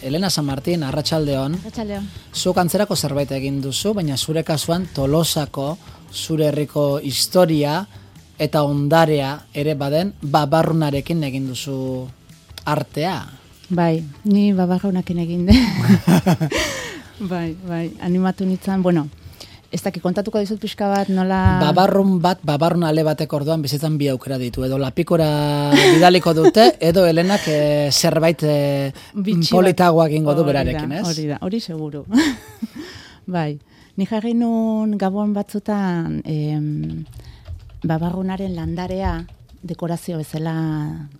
Elena San Martin, arratsaldeon. Arratsaldeon. Zuk antzerako zerbait egin duzu, baina zure kasuan Tolosako, zure herriko historia eta ondarea ere baden babarrunarekin egin duzu artea. Bai, ni babarrunarekin egin de. bai, animatu nintzen, bueno, ez dakit kontatuko dizut pixka bat, nola... Babarrun ale batek orduan bizitzan bi aukera ditu, edo lapikora bidaliko dute, edo Helenak zerbait politagoa egingo du berarekin, ez? Hori seguru. Bai, ni jarri nun Gabon batzutan babarrunaren landarea, dekorazio bezala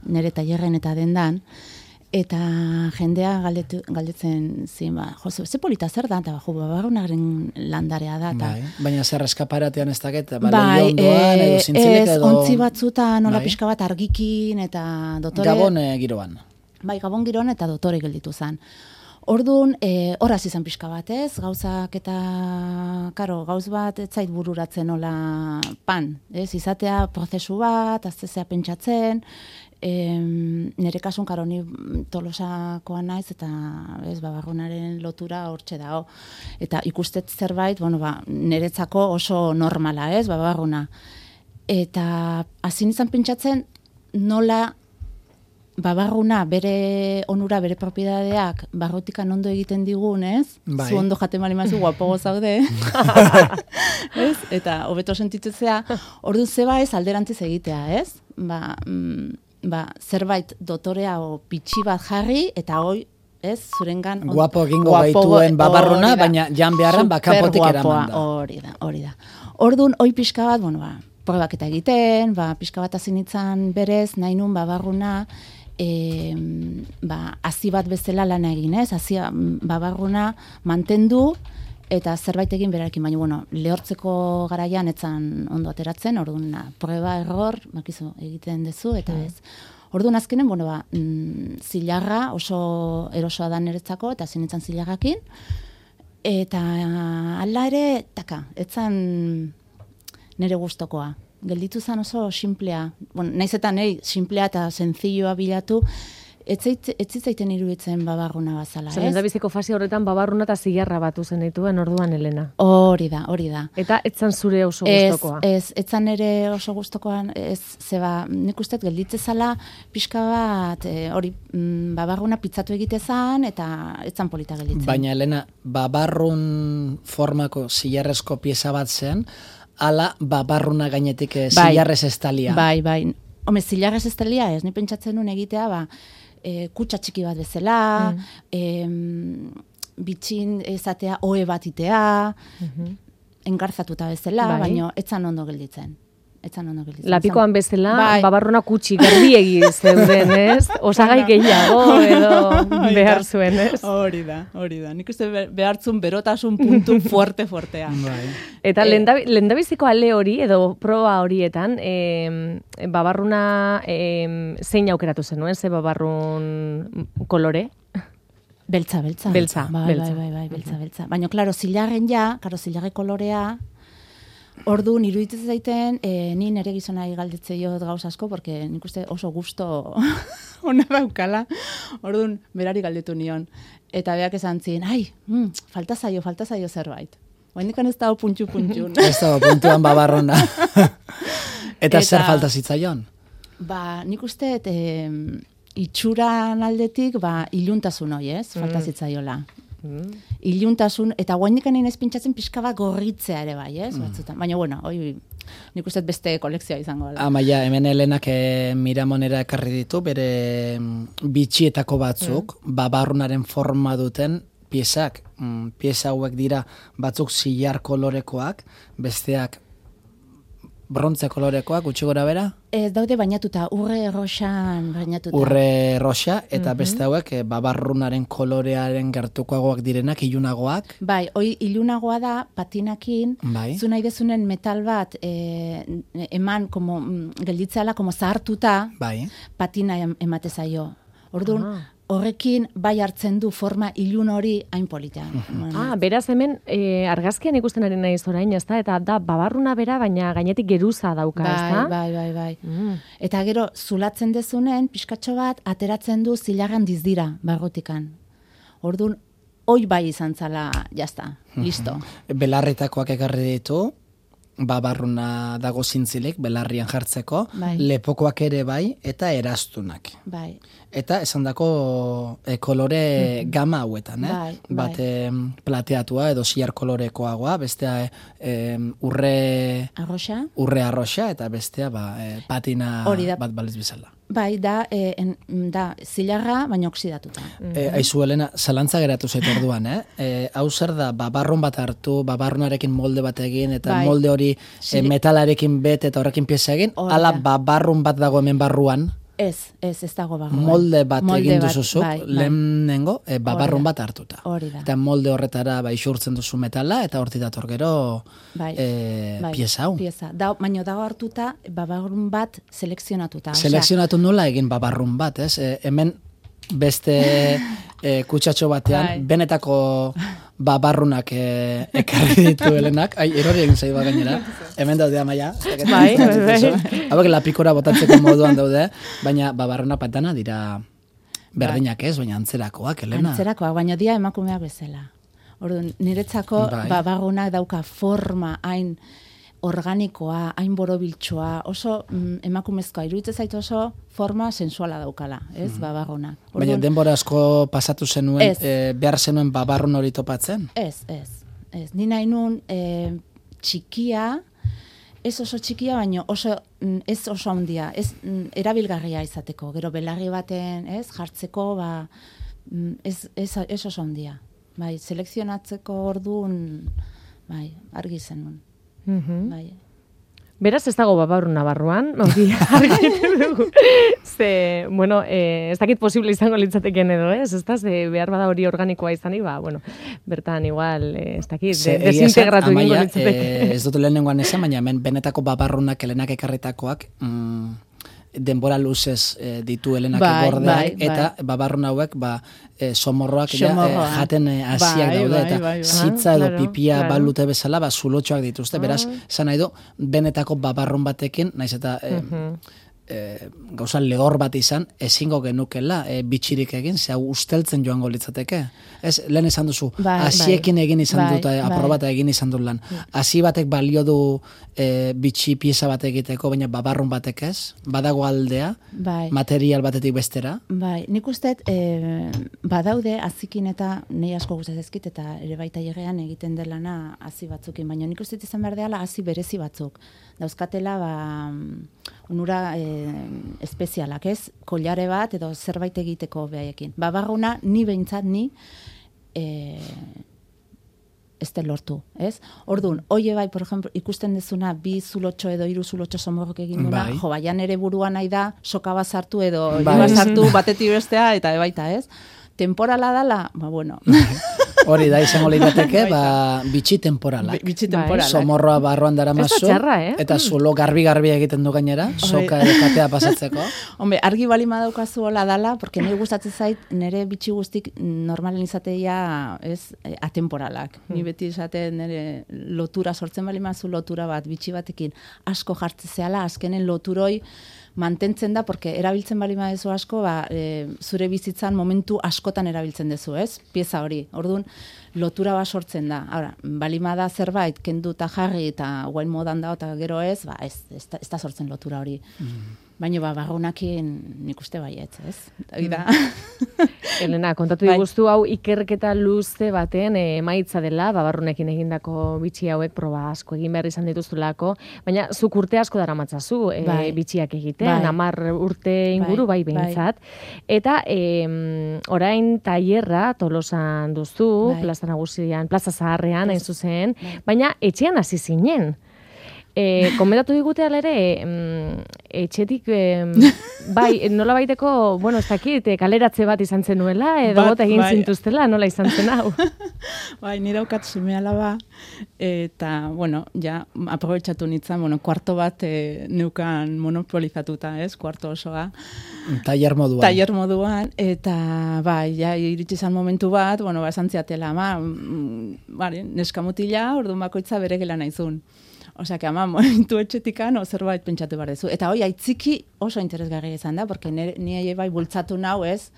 nire tailerren eta dendan, eta jendea galdetzen zin, ze polita zer da, eta babarrunaren landarea da. Bai, baina zer eskaparatean ez dakit, leiondoan edo zintzilik edo... ontzi batzutan, nola pixka bat argikin, eta dotore... Gabon giroan. Bai, Gabon giroan eta dotore gelditu zen. Orduan, horaz izan pixka bat, ez? Gauzak eta, gauz bat ez zait bururatzen nola pan, ez? Izatea prozesu bat, aztezea pentsatzen, nire kasun ni Tolosakoa naiz eta babarrunaren lotura hortxe dago. Eta ikustet zerbait, niretzako oso normala, ez, babarruna. Eta hasi izan pentsatzen nola babarruna bere onura, bere propiedadeak barrutikan ondo egiten digun, ez? Bai. Zu ondo jaten bali mazu, guapogo zaude. Ez? Eta hobeto sentitzea, orduan zeba ez alderantziz egitea, ez? Zerbait dotorea o pitxi bat jarri, eta hoi, ez, zurengan... Guapo egingo gaituen babarruna, baina jan beharren kanpotik eraman da. Hori da. Orduan, hoi pixka bat, probak eta egiten, pixka bat hasi nintzen berez, nahi nun babarruna, hazi bat bezala lana egin, ez? Hazi babarruna mantendu, eta zerbait egin berarekin, baina, lehortzeko garaian etzan ondo ateratzen, orduan, proba, error, bakizu egiten dezu, eta ez. Orduan azkenen, zilarra oso erosoa da niretzako, eta zinitzen zilarrakin, eta ala ere, etzan nire gustokoa. Gelditu zen oso simplea. Naiz eta nahi simplea eta senzilloa bilatu, ez zitzaiten iruditzen babarruna bazala, ez? Lendabiziko fase horretan babarruna eta zilarra batu zen dituen orduan, Elena. Hori da. Eta etzan zure oso gustokoa. Etzan ere oso gustokoan, nik uste gelditze zala pixka bat, babarruna pitzatu egitezan, eta etzan polita gelditzen. Baina, Elena, babarrun formako zilarrezko pieza bat zen, ala babarruna gainetik zilarrez estalia. Bai. Home, zilarrez estalia ez, ni pentsatzen nuen egitea, kutsa txiki bat bezala, bitxin ezatea ohe bat itea, engarzatuta bezala, baina etzan ondo gelditzen. Lapikoan bezala, babarruna kutsi, garbiegi zeuden, ez? Osagai gehiago edo behar zuen, ez? Hori da. Nik uste behartzun berotasun puntu fuertea. Eta lendabiziko ale hori, edo proba horietan, babarruna zein aukeratu zenuen, ze babarrun kolore? Beltza. Bai, beltza. Baina, klaro, zilarre kolorea, orduan, iruditzen zaiten, ni nire gizonari galdetze jod gauz asko, porque nik uste oso gusto ona daukala. Orduan, berari galdetu nion. Eta beak esan zien, falta zaio zerbait. Oendikan ez dago puntxu. Ez dago puntuan babarruna. Eta zer falta zitzaion? Nik uste, itxuran aldetik, iluntasun hoi, ez? Falta zitzaiola. Iluntasun, eta guainikan inez pintxatzen pixka bat gorritzea ere bai, ez? Baina, nik uste beste kolekzioa izango da. Amaia, hemen Helenak Miramonera ekarri ditu, bere bitxietako batzuk, babarrunaren forma duten piezak. Pieza hauek dira batzuk zilar kolorekoak, besteak brontze kolorekoak, gutxi gora bera? Ez daude bainatuta, urre roxan bainatuta. Urre roxa, eta beste hauek babarrunaren kolorearen gertukoagoak direnak, ilunagoak. Bai, hoi ilunagoa da, patinakin, zu nahi dezunen metal bat eman, gelditzeala, zahartuta, patina emate zaio. Orduan, horrekin bai hartzen du forma ilun hori hain politean. Beraz hemen argazkian ikusten ari naiz orain, ezta? Eta da babarruna bera, baina gainetik geruza dauka, ezta? Bai. Eta gero zulatzen dezunen, pixkatxo bat, ateratzen du zilarran dizdira barrutikan. Orduan, hoi bai izan zala, jazta, listo. Belarritakoak ekarri ditu, babarruna dago zintzilik, belarrian jartzeko, lepokoak ere bai, eta eraztunak. Bai. Eta esan dako kolore gama hauetan, bat plateatua edo ziar kolorekoagoa, bestea urre arroxa, eta bestea patina bat baliz bizala. Bai, da zilarra, baina oksidatuta. Aizu, Elena, zalantza geratu zaitu orduan, hau zer da, babarrun bat hartu, babarrunarekin molde bat egin, eta molde hori metalarekin bet eta horrekin pieza egin, ala babarrun bat dago hemen barruan. Ez dago barruan. Molde bat egin duzuzuk, lehenengo, babarrun bat hartuta. Eta molde horretara isurtzen duzu metala, eta horti dator gero pieza hau. Baina dago hartuta, babarrun bat selekzionatuta. Selekzionatu nola egin babarrun bat, ez? Hemen beste kutsatxo batean, benetako babarrunak ekarri ditu Helenak. Erori egin zaiba gainera. Hemen daude Amaia. Hauek lapikora botatzeko moduan daude, baina babarruna patana dira berdinak ez, baina antzerakoak, Helena. Antzerakoak, baina dia emakumeak bezala. Orduan, niretzako babarrunak dauka forma hain organikoa, hain borobiltzoa, oso emakumezkoa, iruditzen zaitu oso forma sensuala daukala, ez, babarruna. Baina denbora asko pasatu zenuen, behar zenuen babarrun hori topatzen? Ez. Ni nahi nun txikia, ez oso txikia, baina ez oso handia, ez erabilgarria izateko, gero belarri baten, ez, jartzeko, ez oso handia. Bai, selekzionatzeko orduan, bai, argi zenun. Beraz ez dago babarruna barruan, hori argitu dugu. Bueno, ez dakit posible izango litzateken edo, ez da, behar bada hori organikoa izanik, bertan igual, ez dakit, desintegratu egingo litzateken. Ez dut lehenengoan esan, baina hemen benetako babarrunak Helenak ekarritakoak, denbora luzez ditu Helenak gordeak, eta babarrun hauek somorroak jaten hasiak daude, eta zitza edo pipia balute bezala, zulotxoak dituzte, beraz, zan nahi du, benetako babarrun batekin, naiz eta gauza lehor bat izan, ezingo genukela bitxirik egin, ze hau usteltzen joango litzateke. Ez, lehen esan duzu, hasiekin egin izan dut, aprobata egin izan dut lan. Hasi batek balio du bitxi pieza bat egiteko, baina babarrun batek ez, badago aldea, material batetik bestera. Bai, nik usteet, badaude, hazikin eta nahi asko guztaz ezkit, eta ere baita jegean egiten delana hazi batzukin, baina nik usteet izan behar deala hazi berezi batzuk. Dauzkatela, onura espezialak, ez? Kollare bat edo zerbait egiteko behaiekin. Babarruna, ni behintzat, ez da lortu, ez? Orduan, hoie bai, por ejemplo, ikusten dezuna, 2 zulotxo edo 3 zulotxo somorrok egin duna, baian ere buruan nahi da, soka bazartu edo bazartu batetik bestea, eta baita, ez? Temporala dala, bueno. Hori da, izango lirateke, bitxi temporalak. Somorroa barroan dara mazu, eta zulo garbi-garbi egiten du gainera, soka edo katea pasatzeko. Hombre, argi bali madaukazu hola dala, porque nire gustatzen zait, nire bitxi guztik normalen izateia, ez, atemporalak. Ni beti izaten nire lotura sortzen bali mazu lotura bat, bitxi batekin asko jartzezeala, azkenen loturoi mantentzen da, porque erabiltzen bali madezu asko, zure bizitzan momentu askotan erabiltzen dezu, ez? Pieza hori. Orduan, lotura bat sortzen da. Ahora, balimada zerbait, kendu eta jarri eta guain modan da, eta gero ez, ez da sortzen lotura hori. Baina barrunakin nik uste baietz, ez? Helena, kontatu diguztu hau ikerketa luze baten emaitza dela, barrunekin egindako bitxi hauek proba asko egin behar izan dituzulako, baina zuk urte asko daramatzazu bitxiak egiten, 10 urte inguru bai behintzat. Eta orain tailerra Tolosan duzu, Plaza Nagusian, Plaza Zaharrean, hain zuzen, baina etxean hasi zinen. Komentatu digute alere, etxetik, bai, nola baiteko, bueno, ez dakit, kaleratze bat izan zenuela, edo bota egin zintuztela, nola izan zen hau? Bai, nire aukat seme alaba, eta, bueno, ja, aprobetxatu nintzen, bueno, kuarto bat neukan monopolizatuta, ez, kuarto osoa. Tailer moduan. Tailer moduan, eta, bai, ja, iritsi izan momentu bat, bueno, esan ziatela, neskamutila, orduan bakoitza bere gela naizun. Osea, que momentu etxetikan zerbait pentsatu behar dezu. Eta hoi, aitziki oso interesgarria izan da, porque ni bai bultzatu nau, ez,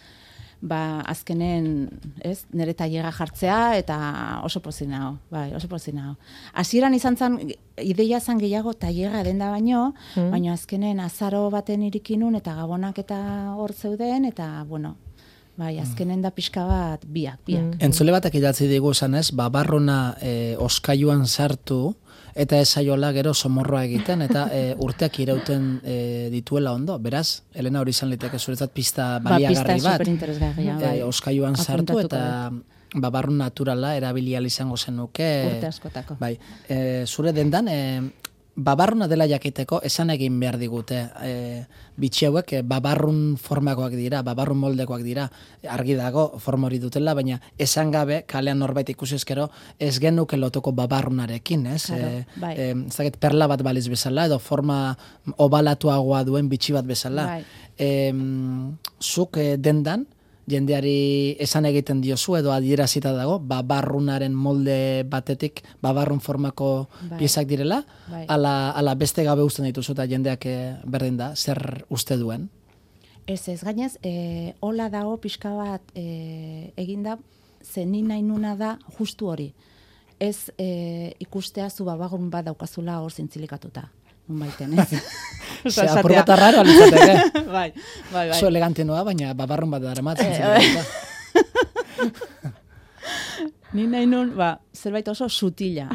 azkenen, ez, nire tailerra jartzea, eta oso pozik nago, bai, oso pozik nago. Hasieran izan zen, ideia zen gehiago tailerra denda baino, baina azkenen azaro baten irikinun, eta gabonak eta hor zeuden, eta, bueno, bai, azkenen da pixka bat biak. Entzule batek idatzi digu esan ez, babarruna oskailuan sartu, eta esaiola gero somorroa egiten, eta urteak irauten dituela ondo. Beraz, Elena, hori izan liteke zuretzat pista baliagarri bat. Superinteresgarria, oskailuan sartu, eta babarrun naturala erabilial izango zenuke. Urte askotako. Bai, zure dendan, babarruna dela jakiteko, esan egin behar digute. Bitxi hauek babarrun formakoak dira, babarrun moldekoak dira, argi dago forma hori dutela, baina esan gabe, kalean norbait ikusi ezkero, ez genuke lotoko babarrunarekin, ez? Bai. Ez dakit perla bat baliz bezala, edo forma obalatuagoa duen bitxi bat bezala. Bai. Zuk dendan, jendeari esan egiten diozu edo adierazita dago, babarrunaren molde batetik babarrun formako piezak direla, ala beste gabe usten dituzu eta jendeak berdin da, zer uste duen? Ez, gainez, hola dago pixka bat eginda, zenin nahi nuna da justu hori. Ez ikustea zu babarrun bat daukazula hor zintzilikatuta. Baiten, ez? Apur bat arraro alitzateke. Bai. Zo elegante noa, baina babarrun bat daramatzen. Ni nahi nun, zerbait oso sutila.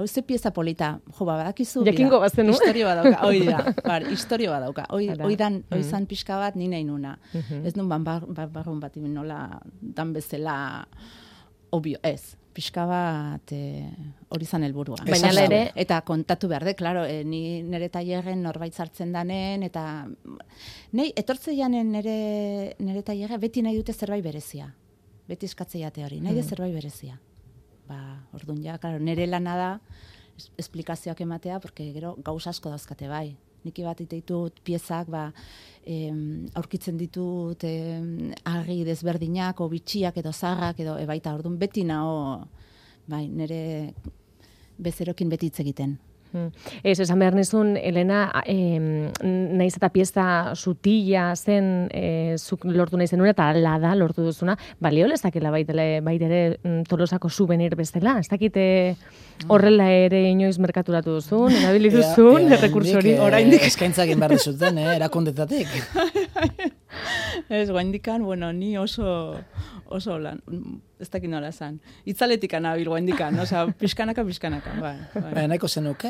Oize pieza polita, badakizu. Jakingo bazenu. Historio badauka, historio badauka. Oizan pixka bat ni nahi nuna. Ez nun babarrun bat nola dan bezala obvio, ez. Pixka bat hori zan helburua. Baina ere... Eta kontatu behar de, klaro, ni nire tailerren norbait zartzen danen, eta etortze janen nire tailerra beti nahi dute zerbait berezia. Beti eskatze jate hori, nahi dut zerbait berezia. Orduan ja, klaro, nire lana da esplikazioak ematea, porque gero gauz asko dauzkate bai. Niki bat ditut piezak, aurkitzen ditut argi desberdinak, o bitxiak edo zarrak, edo baita orduan beti nao, nire bezerokin beti hitz egiten. Ez, esan behar nizun, Elena, nahiz eta pieza sutila zen, zuk lortu nahi zenuen, eta ala da lortu duzuna, balio lezakela baitere Tolosako souvenir bestela, ez dakite horrela ere inoiz merkaturatu duzun, erabili duzun, errekursori. Oraindik eskaintzak egin behar dizuten, erakundetatik. Ez, guaindikan, ni oso lan, ez dakit nola zan. Itzaletik anabil guaindikan, pixkanaka. Nahiko zenuke,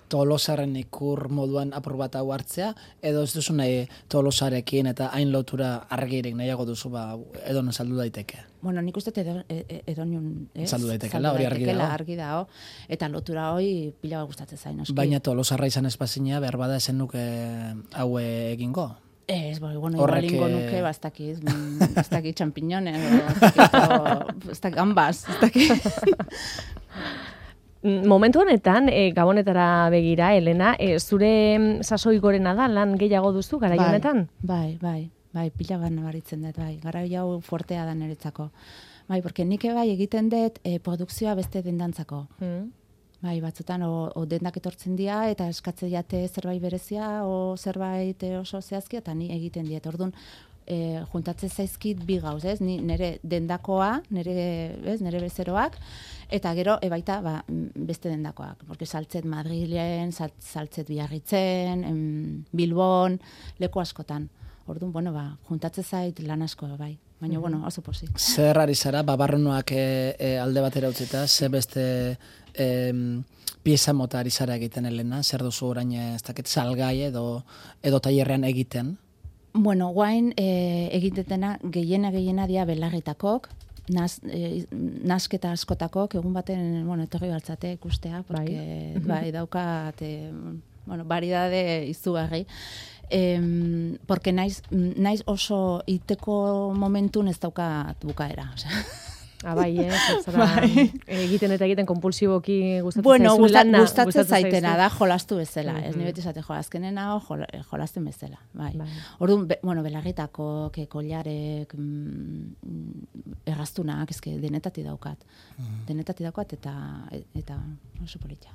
Tolosaren ikur moduan apur bat hau hartzea, edo ez duzu nahi Tolosarekin eta hain lotura argirik nahiago duzu, edo saldu daiteke? Nik uste edonion, ez? Saldu daitekela, hori argi dago. Eta lotura hori pila bat gustatzen zain, noski. Baina Tolosarra izan espazina, behar bada esen nuke hau egingo? Ez, igual ingo nuke, ez dakit champiñones, ez dakit gambas, ez dakit. Momentu honetan, Gabonetara begira, Elena, zure sasoi gorena da, lan gehiago duzu, garai honetan? Bai, pila bat nabaritzen dut, garai hau fuertea da niretzako. Porque nik egiten dut produkzioa beste dendantzako. Batzutan, o dendak etortzen dira, eta eskatze jate zerbait berezia, o zerbait oso zehazki, eta ni egiten diet. Orduan, juntatzen zaizkit bi gauz, ez? Nire dendakoa, nire bezeroak, eta gero, baita, beste dendakoak. Porque saltzet Madrilen, saltzet Biarritzen, Bilbon, leku askotan. Orduan, juntatzen zait lan asko, bai. Baina, oso pozik. Zer ari zara, babarrunoak alde batera utzita, ze beste pieza mota ari zara egiten, Elena? Zer duzu orain, ez dakit, salgai edo tailerrean egiten? Guain egitetena gehiena dira belarritakok, nasketa askotakok, egun baten, etorri baltzate ikustea, porque daukat, variedade izugarri. Porque naiz oso iteko momentun ez daukat bukaera, egiten eta egiten kompulsiboki gustatzen zaizu lana. Gustatzen zaitena da jolastu bezala, ez ni beti esate jolazkenen hau jolasten bezala. Orduan, belarritako, kollarek, erraztunak, denetati daukat. Eta oso polita.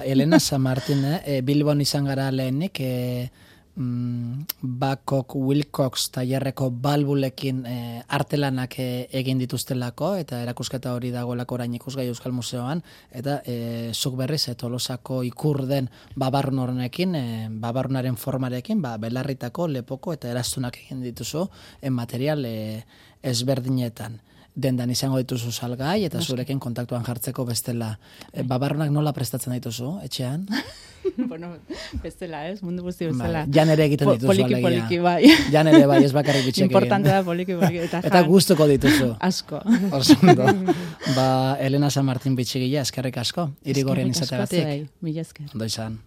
Elena San Martin, Bilbon izan gara lehenik, Babcock Wilcox tailerreko balbulekin artelanak egin dituztelako, eta erakusketa hori dagoelako orain ikusgai Euskal Museoan, eta zuk berriz Tolosako ikur den babarrun horrekin, babarrunaren formarekin, belarritako, lepoko eta eraztunak egin dituzu material ezberdinetan. Dendan izango dituzu salgai eta zurekin kontaktuan jartzeko bestela. Babarrunak nola prestatzen dituzu, etxean? Bueno, bestela, mundu guzti bestela. Jan ere egiten dituzu alegia. Poliki, bai. Jan ere bai, ez bakarrik bitxek egin. Importante da poliki. Eta gustuko dituzu. Asko. Osondo. Elena San Martin bitxigila, eskerrik asko. Irigorrien izateagatik. Mila esker. Ondo izan.